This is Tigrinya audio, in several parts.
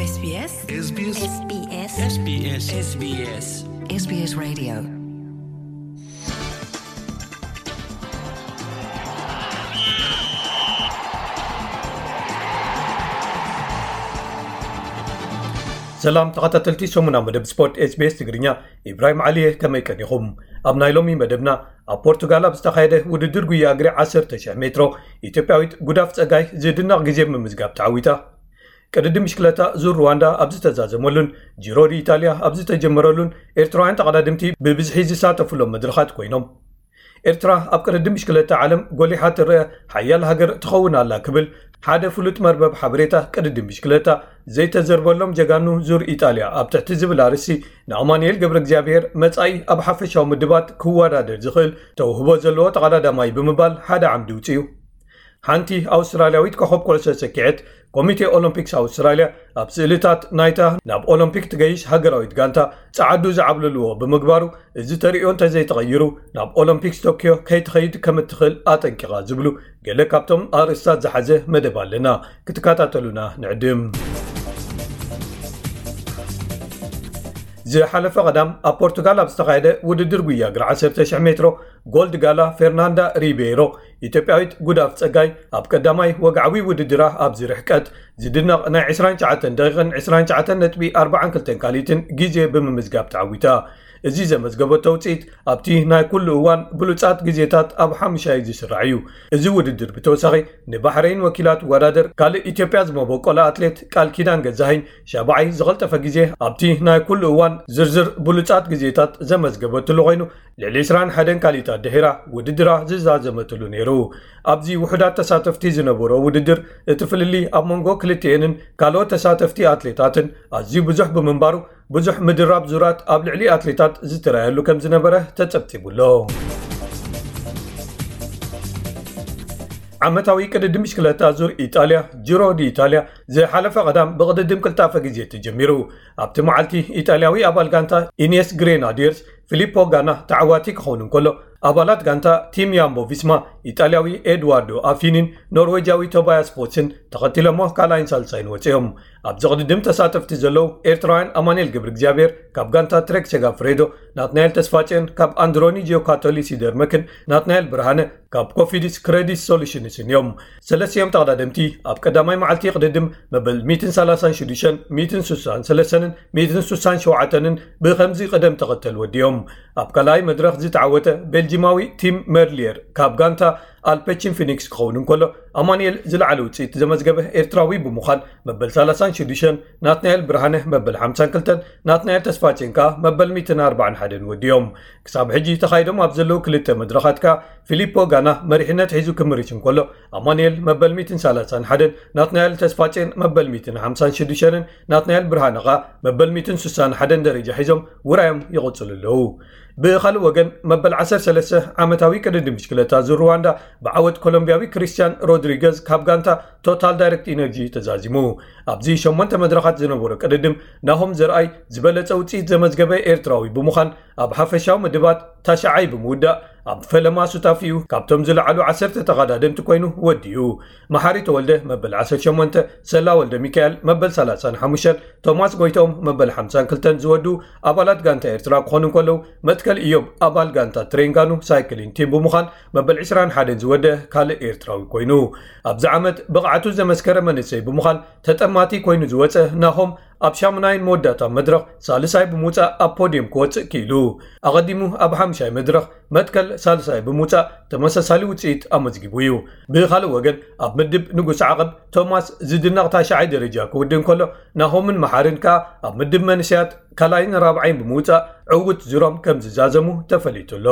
SBS SBS SBS SBS SBS SBS Radio. ሰላም ተኸታተልቲ ሰሙና መደብ ስፖርት SBS ትግርኛ፣ ኢብራሂም ዓሊየ፣ ከመይ ቀኒኹም? ኣብ ናይ ሎሚ መደብና፣ ኣብ ፖርቱጋል ኣብ ዝተኻየደ ውድድር ጉያ እግሪ ዓሰርተ ሺሕ ሜትሮ፣ ኢትዮጵያዊት ጉዳፍ ጸጋይ ዝድነቕ ግዜ ብምዝጋብ ተዓዊታ። ቅድድም ብሽክለታ ዙር ሩዋንዳ ኣብ ዝተዛዘመሉን ጂሮ ዲ ኢጣልያ ኣብ ዝተጀመረሉን፣ ኤርትራውያን ተቐዳድምቲ ብብዝሒ ዝሳተፉሎም መድረኻት ኮይኖም። ኤርትራ ኣብ ቅድድም ብሽክለታ ዓለም ጎሊሓ ትረአ ሓያል ሃገር ትኸውን ኣላ ክብል ሓደ ፍሉጥ መርበብ ሓበሬታ ቅድድም ብሽክለታ ዘይተዘርበሎም ጀጋኑ ዙር ኢጣልያ ኣብ ትሕቲ ዝብል ኣርእስቲ ንኣማኑኤል ገብረ እግዚኣብሔር መጻኢ ኣብ ሓፈሻዊ ምድባት ክወዳደር ዝኽእል ተውህቦ ዘለዎ ተቐዳዳማይ ብምባል ሓደ ዓምዲ ውጽኡ። ሓንቲ ኣውስትራልያዊት ኮኸብ ኩዕሶ ሰኪዐት፣ ኮሚቴ ኦሎምፒክስ ኣውስትራልያ ኣብ ስእልታት ናይታ ናብ ኦሎምፒክ ትገይሽ ሃገራዊት ጋንታ ጸዓዱ ዝዓብለልዎ ብምግባሩ፣ እዚ ተርእዮ እንተዘይተቐይሩ ናብ ኦሎምፒክስ ቶክዮ ከይትኸይድ ከም እትኽእል ኣጠንቂቓ ዝብሉ ገለ ካብቶም ኣርእስታት ዝሓዘ መደብ ኣለና። ክትከታተሉና ንዕድም። ዝሓለፈ ቀዳም ኣብ ፖርቱጋል ኣብ ዝተኻየደ ውድድር ጉያ እግሪ ዓሰርተ ሺሕ ሜትሮ፣ ጎልድ ጋላ ፌርናንዳ ሪቤይሮ፣ ኢትዮጵያዊት ጉዳፍ ጸጋይ፣ ኣብ ቀዳማይ ወግዓዊ ውድድራ ኣብዚ ርሕቀት ዝድነቕ ናይ ዕስራን ትሽዓተን ደቂቕን ዕስራን ትሽዓተን ነጥቢ ኣርባዓን ክልተን ካልኢትን ግዜ ብምምዝጋብ ተዓዊታ። እዚ ዘመዝገበቶ ውጽኢት ኣብቲ ናይ ኩሉ እዋን ብሉጻት ግዜታት ኣብ ሓሙሻይ ዝስራዕ እዩ። እዚ ውድድር ብተወሳኺ ንባሕረይን ወኪላ ትወዳደር ካልእ ኢትዮጵያ ዝመበቆላ ኣትሌት ቃል ኪዳን ገዛኸኝ ሻብዓይ ዝቐልጠፈ ግዜ ኣብቲ ናይ ኩሉ እዋን ዝርዝር ብሉጻት ግዜታት ዘመዝገበትሉ ኮይኑ፣ ልዕሊ ዕስራን ሓደን ካልኢታት ድሒራ ውድድራ ዝዛዘመትሉ ነይሩ። ኣብዚ ውሑዳት ተሳተፍቲ ዝነበሮ ውድድር፣ እቲ ፍልልይ ኣብ መንጎ ክልቲኤንን ካልኦት ተሳተፍቲ ኣትሌታትን ኣዝዩ ብዙሕ ብምንባሩ፣ ብዙሕ ምድራብ ዙራት ኣብ ልዕሊ ኣትሌታት ዝተራየሉ ከም ዝነበረ ተጸብጺቡ ኣሎ። ዓመታዊ ቅድድም ብሽክለታ ዙር ኢጣልያ፣ ጂሮ ዲ ኢጣልያ፣ ዝሓለፈ ቀዳም ብቅድድም ቅልጣፈ ግዜ ተጀሚሩ። ኣብቲ መዓልቲ፣ ኢጣልያዊ ኣባል ጋንታ ኢኔስ ግሬናዲየርስ ፊሊፖ ጋና ተዓዋቲ ክኸውን እንከሎ፣ ኣባላት ጋንታ ቲም ያምቦ ቪስማ፣ ኢጣልያዊ ኤድዋርዶ ኣፊኒን ኖርዌጃዊ ቶባያስ ፖትስን ተኸቲሎሞ ካልኣይን ሳልሳይን ወጺኦም። ኣብዚ ቅድድም ተሳተፍቲ ዘለዉ ኤርትራውያን ኣማኑኤል ገብረ እግዚኣብሔር ካብ ጋንታ ትሬክ ሴጋፍሬዶ፣ ናትናኤል ተስፋጽዮን ካብ ኣንድሮኒ ጂዮካቶሊ ሲደርመክን ናትናኤል ብርሃነ ካብ ኮፊዲስ ክሬዲት ሶሉሽንስን እዮም። ሰለስቲኦም ተቐዳደምቲ ኣብ ቀዳማይ መዓልቲ ቅድድም መበል ሚእትን ሰላሳን ሽዱሽተን፣ ሚእትን ስሳን ሰለስተንን ሚእትን ስሳን ሸውዓተንን ብኸምዚ ቅደም ተኸተል ወዲኦም። ኣብ ካልኣይ መድረኽ ዝተዓወተ ቤልጂማዊ ቲም መርሊየር ካብ ጋንታ ኣልፔቺን ፊኒክስ ክኸውን እንከሎ፣ ኣማኑኤል ዝለዓለ ውጽኢት ዘመዝገበ ኤርትራዊ ብምዃን መበል ሰላሳን ሽዱሽተን፣ ናትናኤል ብርሃነ መበል ሓምሳን ክልተን፣ ናትናኤል ተስፋጽዮን ከኣ መበል ሚእትን ኣርባዓን ሓደን ወዲኦም። ክሳብ ሕጂ ተኻይዶም ኣብ ዘለዉ ክልተ መድረኻት ከኣ ፊሊፖ ጋና መሪሕነት ሒዙ ክምርሽ እንከሎ፣ ኣማኑኤል መበል ሚእትን ሰላሳን ሓደን፣ ናትናኤል ተስፋጽዮን መበል ሚእትን ሓምሳን ሽዱሽተን፣ ናትናኤል ብርሃነ ከኣ መበል ሚእትን ስሳን ሓደን ደረጃ ሒዞም ውራዮም ይቕጽሉ ኣለዉ። ብኻልእ ወገን፣ መበል ዓሰርተ ሰለስተ ዓመታዊ ቅድድም ብሽክለታ ዙር ሩዋንዳ ብዓወት ኮሎምብያዊ ክሪስቲያን ሮድሪገዝ ካብ ጋንታ ቶታል ዳይሬክት ኢነርጂ ተዛዚሙ። ኣብዚ ሸሞንተ መድረኻት ዝነበሮ ቅድድም፣ ናሆም ዘርኣይ ዝበለጸ ውጽኢት ዘመዝገበ ኤርትራዊ ብምዃን፣ ኣብ ሓፈሻዊ ምድባት ታሽዓይ ብምውዳእ፣ ኣብ ፈለማ ሱታፊኡ ካብቶም ዝለዓሉ ዓሰርተ ተቐዳደምቲ ኮይኑ ወዲኡ። መሓሪ ተወልደ መበል ዓሰርተ ሸሞንተ፣ ሰላ ወልደ ሚካኤል መበል ሰላሳን ሓሙሽተን፣ ቶማስ ጎይቶም መበል ሓምሳን ክልተን ዝወድኡ ኣባላት ጋንታ ኤርትራ ክኾኑ እንከለዉ፣ መትከል ኢዮብ ኣባል ጋንታ ትሬንጋኑ ሳይክሊን ቲም ብምዃን መበል ዕስራን ሓደን ዝወደአ ካልእ ኤርትራዊ ኮይኑ። ኣብዚ ዓመት ብቕዓቱ ዘመስከረ መንእሰይ ብምዃን ተጠማቲ ኮይኑ ዝወጸ ናሆም፣ ኣብ ሻሙናይን መወዳእታ መድረኽ ሳልሳይ ብምውጻእ ኣብ ፖድየም ክወጽእ ክኢሉ። ኣቐዲሙ ኣብ ሓምሻይ መድረኽ መትከል ሳልሳይ ብምውጻእ ተመሳሳሊ ውጽኢት ኣመዝጊቡ እዩ። ብኻልእ ወገን፣ ኣብ ምድብ ንጉስ ዓቐብ ቶማስ ዝድነቕ ታሽዓይ ደረጃ ክውድእ እንከሎ፣ ናሆምን መሓርን ከኣ ኣብ ምድብ መንእሰያት ካልኣይን ራብዓይን ብምውጻእ ዕዉት ዙሮም ከም ዝዛዘሙ ተፈሊጡ ኣሎ።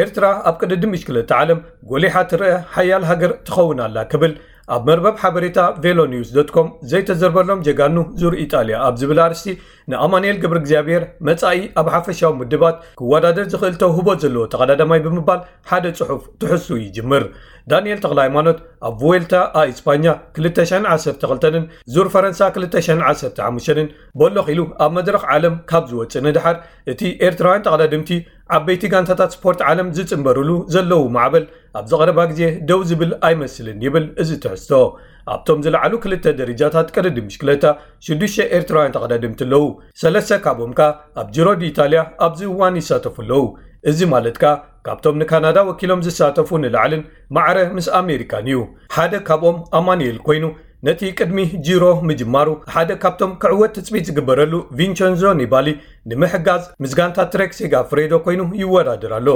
ኤርትራ ኣብ ቅድድም ብሽክለታ ዓለም ጎሊሓ ትረአ ሓያል ሃገር ትኸውን ኣላ ክብል ኣብ መርበብ ሓበሬታ ቬሎ ኒውስ ዶት ኮም ዘይተዘርበሎም ጀጋኑ ዙር ኢጣልያ ኣብ ዝብል ኣርእስቲ ንኣማኑኤል ገብረ እግዚኣብሔር መጻኢ ኣብ ሓፈሻዊ ምድባት ክወዳደር ዝኽእል ተውህቦ ዘለዎ ተቐዳዳማይ ብምባል ሓደ ጽሑፍ ትሕዝቱ ይጅምር። ዳንኤል ተኽለ ሃይማኖት ኣብ ቭዌልታ ኣ ኢስፓኛ ክልተ ሽሕን ዓሰርተ ክልተን ዙር ፈረንሳ ክልተ ሽሕን ዓሰርተ ሓሙሽተን በሎኽ ኢሉ ኣብ መድረኽ ዓለም ካብ ዝወጽእ ንድሓር፣ እቲ ኤርትራውያን ተቐዳድምቲ ዓበይቲ ጋንታታት ስፖርት ዓለም ዝጽንበርሉ ዘለዉ ማዕበል ኣብዚ ቀረባ ግዜ ደው ዝብል ኣይመስልን ይብል እዚ ትሕዝቶ። ኣብቶም ዝለዓሉ ክልተ ደረጃታት ቅድድም ብሽክለታ ሽዱሽተ ኤርትራውያን ተቐዳደምቲ ኣለዉ። ሰለስተ ካብኦም ከኣ ኣብ ጂሮ ዲ ኢታልያ ኣብዚ እዋን ይሳተፉ ኣለዉ። እዚ ማለት ከኣ ካብቶም ንካናዳ ወኪሎም ዝሳተፉ ንላዕልን ማዕረ ምስ ኣሜሪካን እዩ። ሓደ ካብኦም ኣማኑኤል ኮይኑ ነቲ ቅድሚ ጂሮ ምጅማሩ ሓደ ካብቶም ክዕወት ትጽቢት ዝግበረሉ ቪንቸንዞ ኒባሊ ንምሕጋዝ ምስ ጋንታ ትሬክ ሴጋ ፍሬዶ ኮይኑ ይወዳደር ኣሎ።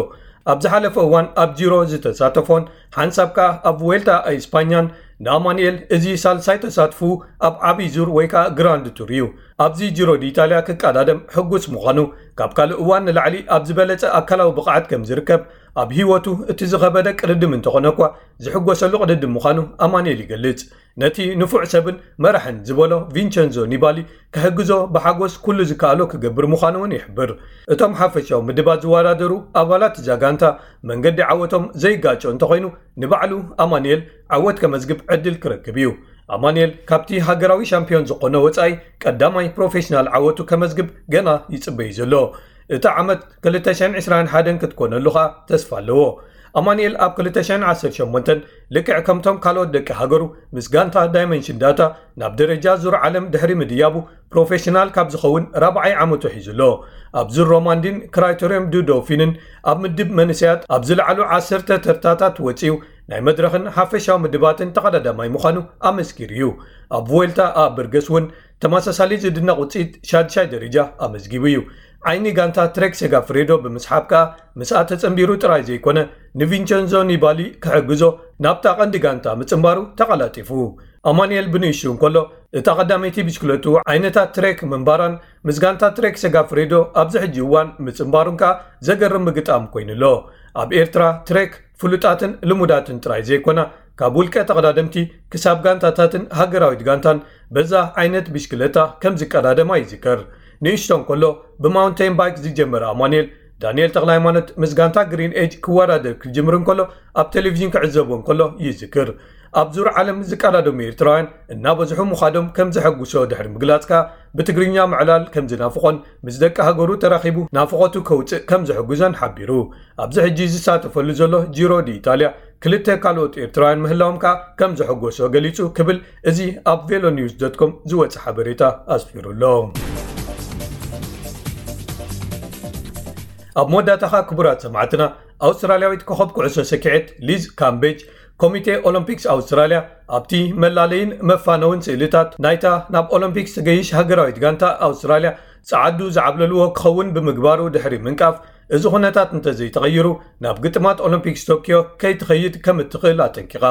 ኣብ ዝሓለፈ እዋን ኣብ ጂሮ ዝተሳተፎን ሓንሳብ ከኣ ኣብ ዌልታ ኣይ ስፓኛን ንኣማኑኤል እዚ ሳልሳይ ተሳትፉ ኣብ ዓብይ ዙር ወይ ከኣ ግራንድ ቱር እዩ። ኣብዚ ጂሮ ዲ ኢታልያ ክቀዳደም ሕጉስ ምዃኑ ካብ ካልእ እዋን ንላዕሊ ኣብ ዝበለጸ ኣካላዊ ብቕዓት ከም ዝርከብ ኣብ ህይወቱ እቲ ዝኸበደ ቅድድም እንተኾነ እኳ ዝሕጎሰሉ ቅድድም ምዃኑ ኣማኑኤል ይገልጽ። ነቲ ንፉዕ ሰብን መራሕን ዝበሎ ቪንቸንዞ ኒባሊ ክሕግዞ ብሓጎስ ኩሉ ዝከኣሎ ክገብር ምዃኑ እውን ይሕብር። እቶም ሓፈሻዊ ምድባት ዝወዳደሩ ኣባላት እዛ ጋንታ መንገዲ ዓወቶም ዘይጋጮ እንተኾይኑ ንባዕሉ ኣማኑኤል ዓወት ከመዝግብ ዕድል ክረክብ እዩ። ኣማኑኤል ካብቲ ሃገራዊ ሻምፒዮን ዝኾነ ወጻኢ ቀዳማይ ፕሮፌሽናል ዓወቱ ከመዝግብ ገና ይጽበዩ ዘሎ። እታ ዓመት ክልተ ሽሕን ዕስራን ሓደን ክትኮነሉ ኸኣ ተስፋ ኣለዎ። ኣማኑኤል ኣብ ክልተ ሽሕን ዓሰርተ ሸሞንተን ልክዕ ከምቶም ካልኦት ደቂ ሃገሩ ምስ ጋንታ ዳይመንሽን ዳታ ናብ ደረጃ ዙር ዓለም ድሕሪ ምድያቡ ፕሮፌሽናል ካብ ዝኸውን ራብዓይ ዓመቱ ሒዙ ኣሎ። ኣብ ዙር ሮማንዲን ክራይቶሪየም ዱ ዶፊንን ኣብ ምድብ መንእሰያት ኣብ ዝለዓሉ ዓሰርተ ተርታታት ወጺኡ ናይ መድረኽን ሓፈሻዊ ምድባትን ተቐዳዳማይ ምዃኑ ኣመስኪሩ እዩ። ኣብ ቮልታ ኣብ በርገስ እውን ተመሳሳሊ ዝድነቕ ውጽኢት ሻድሻይ ደረጃ ኣመዝጊቡ እዩ። ዓይኒ ጋንታ ትሬክ ሴጋፍሬዶ ብምስሓብ ከኣ ምስኣ ተጸንቢሩ ጥራይ ዘይኮነ ንቪንቸንዞ ኒባሊ ክሕግዞ ናብታ ቀንዲ ጋንታ ምጽንባሩ ተቐላጢፉ። ኣማኑኤል ብንእሽቱ እንከሎ እታ ቀዳመይቲ ብሽክለቱ ዓይነታ ትሬክ ምንባራን ምስ ጋንታ ትሬክ ሴጋፍሬዶ ኣብዚ ሕጂ እዋን ምጽንባሩን ከኣ ዘገርም ምግጣም ኮይኑ ኣሎ። ኣብ ኤርትራ ትሬክ ፍሉጣትን ልሙዳትን ጥራይ ዘይኮና ካብ ውልቀ ተቐዳደምቲ ክሳብ ጋንታታትን ሃገራዊት ጋንታን በዛ ዓይነት ብሽክለታ ከም ዝቀዳደማ ይዝከር። ንእሽቶ እንከሎ ብማውንቴን ባይክ ዝጀመረ ኣማኑኤል ዳንኤል ተኽለሃይማኖት ምስ ጋንታ ግሪን ኤጅ ክወዳደር ክጅምር እንከሎ ኣብ ቴሌቪዥን ክዕዘቦ እንከሎ ይዝክር። ኣብ ዙር ዓለም ዝቀዳደሙ ኤርትራውያን እናበዝሑ ምዃዶም ከም ዘሐጉሶ ድሕሪ ምግላጽ ከኣ ብትግርኛ ምዕላል ከም ዝናፍቖን ምስ ደቂ ሃገሩ ተራኺቡ ናፍቖቱ ከውጽእ ከም ዘሐጉዞን ሓቢሩ። ኣብዚ ሕጂ ዝሳተፈሉ ዘሎ ጂሮ ዲ ኢታልያ ክልተ ካልኦት ኤርትራውያን ምህላዎም ከኣ ከም ዘሐጎሶ ገሊጹ ክብል እዚ ኣብ ቬሎ ኒውስ ዶት ኮም ዝወጸ ሓበሬታ ኣስፊሩ ኣሎ። ኣብ መወዳእታ ከኣ ክቡራት ሰማዕትና ኣውስትራልያዊት ኮኸብ ኩዕሶ ሰኪዔት ሊዝ ካምቤጅ ኮሚቴ ኦሎምፒክስ ኣውስትራልያ ኣብቲ መላለይን መፋነውን ስእልታት ናይታ ናብ ኦሎምፒክስ ትገይሽ ሃገራዊት ጋንታ ኣውስትራልያ ጸዓዱ ዝዓብለልዎ ክኸውን ብምግባሩ ድሕሪ ምንቃፍ እዚ ኩነታት እንተዘይተቐይሩ ናብ ግጥማት ኦሎምፒክስ ቶኪዮ ከይትኸይድ ከም እትኽእል ኣጠንቂቓ።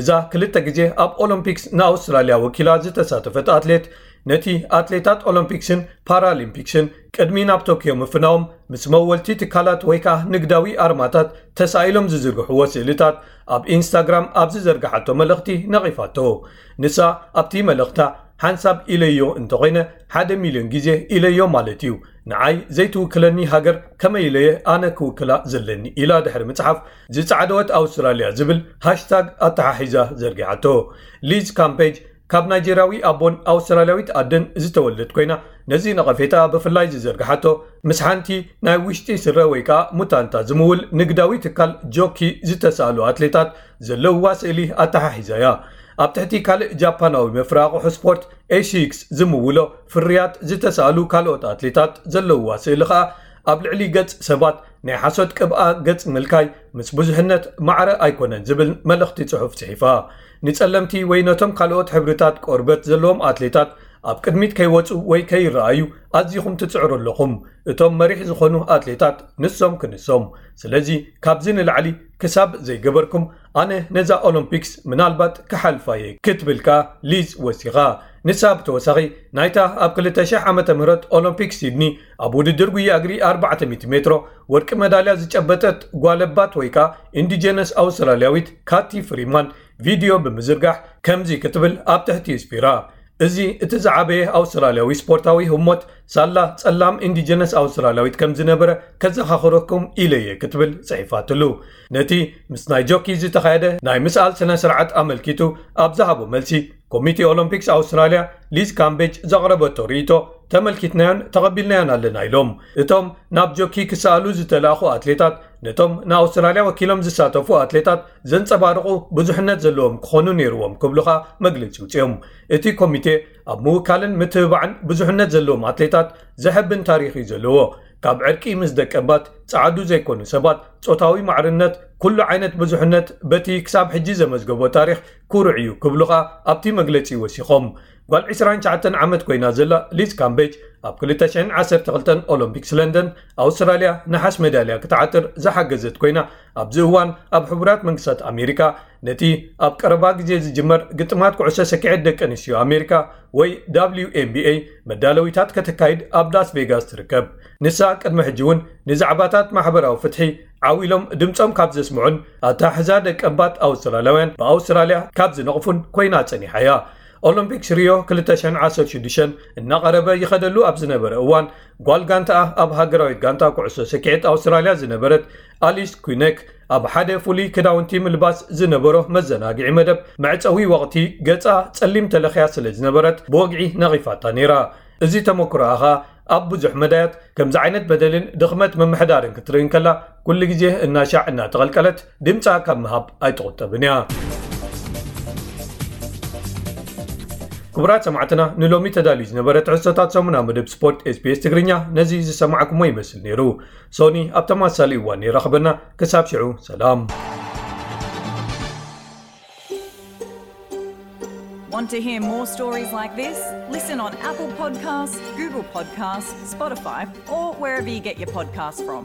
እዛ ክልተ ግዜ ኣብ ኦሎምፒክስ ንኣውስትራልያ ወኪላ ዝተሳተፈት ኣትሌት ነቲ ኣትሌታት ኦሎምፒክስን ፓራሊምፒክስን ቅድሚ ናብ ቶኪዮ ምፍናዎም ምስ መወልቲ ትካላት ወይ ከኣ ንግዳዊ ኣርማታት ተሳኢሎም ዝዝርግሕዎ ስእልታት ኣብ ኢንስታግራም ኣብ ዝዘርግሓቶ መልእኽቲ ነቒፋቶ። ንሳ ኣብቲ መልእኽታ ሓንሳብ ኢለዮ እንተኾይነ ሓደ ሚልዮን ግዜ ኢለዮ ማለት እዩ። ንዓይ ዘይትውክለኒ ሃገር ከመይ ኢለየ ኣነ ክውክላ ዘለኒ ኢላ ድሕሪ ምጽሓፍ ዝጻዕደወት ኣውስትራልያ ዝብል ሃሽታግ ኣተሓሒዛ ዘርጊሓቶ። ሊዝ ካምፔጅ ካብ ናይጀርያዊ ኣቦን ኣውስትራልያዊት ኣደን ዝተወልደት ኮይና ነዚ ነቐፌታ ብፍላይ ዝዘርግሓቶ ምስ ሓንቲ ናይ ውሽጢ ስረ ወይ ከኣ ሙታንታ ዝምውል ንግዳዊ ትካል ጆኪ ዝተሳእሉ ኣትሌታት ዘለውዋ ስእሊ ኣተሓሒዛ እያ። ኣብ ትሕቲ ካልእ ጃፓናዊ መፍረ ኣቑሑ ስፖርት ኤሲክስ ዝምውሎ ፍርያት ዝተሳእሉ ካልኦት ኣትሌታት ዘለውዋ ስእሊ ከኣ ኣብ ልዕሊ ገጽ ሰባት ናይ ሓሶት ቅብኣ ገጽ ምልካይ ምስ ብዙሕነት ማዕረ ኣይኮነን ዝብል መልእኽቲ ጽሑፍ ጽሒፋ። ንጸለምቲ ወይ ነቶም ካልኦት ሕብርታት ቆርበት ዘለዎም ኣትሌታት ኣብ ቅድሚት ከይወጹ ወይ ከይረኣዩ ኣዚኹም ትጽዕሩ ኣለኹም። እቶም መሪሕ ዝኾኑ ኣትሌታት ንሶም ክንሶም። ስለዚ ካብዚ ንላዕሊ ክሳብ ዘይገበርኩም ኣነ ነዛ ኦሎምፒክስ ምናልባት ክሓልፋ እየ ክትብል ከኣ ሊዝ ወሲኻ። ንሳ ብተወሳኺ ናይታ ኣብ ክልተ ሽሕ ዓመተ ምህረት ኦሎምፒክ ሲድኒ ኣብ ውድድር ጉያ እግሪ ኣርባዕተ ሚእቲ ሜትሮ ወርቂ መዳልያ ዝጨበጠት ጓለባት ወይ ከኣ ኢንዲጀነስ ኣውስትራልያዊት ካቲ ፍሪማን ቪድዮ ብምዝርጋሕ ከምዚ ክትብል ኣብ ትሕቲ ስፊራ። እዚ እቲ ዝዓበየ ኣውስትራልያዊ ስፖርታዊ ህሞት ሳላ ጸላም ኢንዲጀነስ ኣውስትራልያዊት ከም ዝነበረ ከዘኻኽረኩም ኢለ እየ ክትብል ጽሒፋትሉ። ነቲ ምስ ናይ ጆኪ ዝተኻየደ ናይ ምስኣል ስነ ስርዓት ኣመልኪቱ ኣብ ዝሃቦ መልሲ ኮሚቴ ኦሎምፒክስ ኣውስትራልያ ሊዝ ካምቤጅ ዘቕረበቶ ርእይቶ ተመልኪትናዮን ተቐቢልናዮን ኣለና ኢሎም። እቶም ናብ ጆኪ ክሰኣሉ ዝተላእኹ ኣትሌታት ነቶም ንኣውስትራልያ ወኪሎም ዝሳተፉ ኣትሌታት ዘንጸባርቑ ብዙሕነት ዘለዎም ክኾኑ ነይርዎም ክብሉኻ መግለጺ ውፅኦም። እቲ ኮሚቴ ኣብ ምውካልን ምትብባዕን ብዙሕነት ዘለዎም ኣትሌታት ዘሐብን ታሪኽ እዩ ዘለዎ። ካብ ዕርቂ ምስ ደቀባት ጸዓዱ ዘይኮኑ ሰባት፣ ጾታዊ ማዕርነት፣ ኩሉ ዓይነት ብዙሕነት በቲ ክሳብ ሕጂ ዘመዝገቦ ታሪኽ ኩሩዕ እዩ ክብሉኻ ኣብቲ መግለጺ ወሲኾም። ጓል ዕስራን ትሽዓተን ዓመት ኮይና ዘላ ሊዝ ካምቤጅ ኣብ ክልተ ሽሕን ዓሰርተ ክልተን ኦሎምፒክስ ለንደን ኣውስትራልያ ነሓስ ሜዳልያ ክትዓጥር ዝሓገዘት ኮይና ኣብዚ እዋን ኣብ ሕቡራት መንግስታት ኣሜሪካ ነቲ ኣብ ቀረባ ግዜ ዝጅመር ግጥማት ኩዕሶ ሰኪዐት ደቂ ኣንስትዮ ኣሜሪካ ወይ ዳብሊው ኤን ቢ ኤ መዳለዊታት ከተካይድ ኣብ ላስ ቬጋስ ትርከብ። ንሳ ቅድሚ ሕጂ እውን ንዛዕባታት ማሕበራዊ ፍትሒ ዓው ኢሎም ድምፆም ካብ ዘስምዑን ኣተሓሕዛ ደቀባት ኣውስትራልያውያን ብኣውስትራልያ ካብ ዝነቕፉን ኮይና ፀኒሓ እያ። ኦሎምፒክስ ሪዮ ክልተ ሽሕን ዓሰርተ ሽዱሽተን እናቐረበ ይኸደሉ ኣብ ዝነበረ እዋን ጓል ጋንታኣ ኣብ ሃገራዊት ጋንታ ኩዕሶ ሰኪዐት ኣውስትራልያ ዝነበረት ኣሊስ ኩነክ ኣብ ሓደ ፍሉይ ክዳውንቲ ምልባስ ዝነበሮ መዘናግዒ መደብ መዕፀዊ ወቕቲ ገፃ ፀሊም ተለኽያ ስለ ዝነበረት ብወግዒ ነቒፋታ ነይራ። እዚ ተመክሮኣ ኸኣ ኣብ ብዙሕ መዳያት ከምዚ ዓይነት በደልን ድኽመት ምምሕዳርን ክትርኢ እንከላ ኩሉ ግዜ እናሻዕ እናተቐልቀለት ድምፃ ካብ ምሃብ ኣይትቑጠብን እያ። ክቡራት ሰማዕትና ንሎሚ ተዳልዩ ዝነበረ ትሕዝቶታት ሰሙና መደብ ስፖርት ኤስቢኤስ ትግርኛ ነዚ ዝሰማዕኩሞ ይመስል ነይሩ። ሶኒ ኣብ ተመሳሳሊ እዋን ይራኽበና። ክሳብ ሽዑ ሰላም። Want to hear more stories like this? Listen on Apple Podcasts, Google Podcasts, Spotify, or wherever you get your podcasts from.